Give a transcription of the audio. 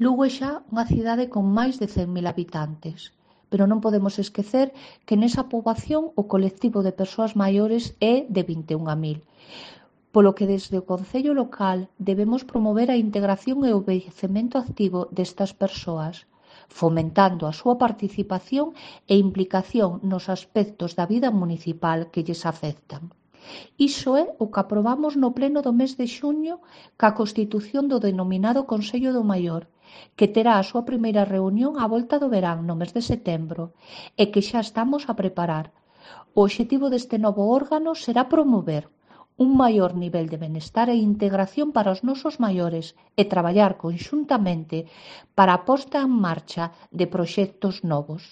Lugo é xa unha cidade con máis de 100.000 habitantes, pero non podemos esquecer que nesa poboación o colectivo de persoas maiores é de 21.000, polo que desde o concello local debemos promover a integración e o envellecemento activo destas persoas, fomentando a súa participación e implicación nos aspectos da vida municipal que lles afectan. Iso é o que aprobamos no pleno do mes de xuño ca constitución do denominado Consello do Maior, que terá a súa primeira reunión á volta do verán no mes de setembro e que xa estamos a preparar. O obxectivo deste novo órgano será promover un maior nivel de benestar e integración para os nosos maiores e traballar conxuntamente para a posta en marcha de proxectos novos.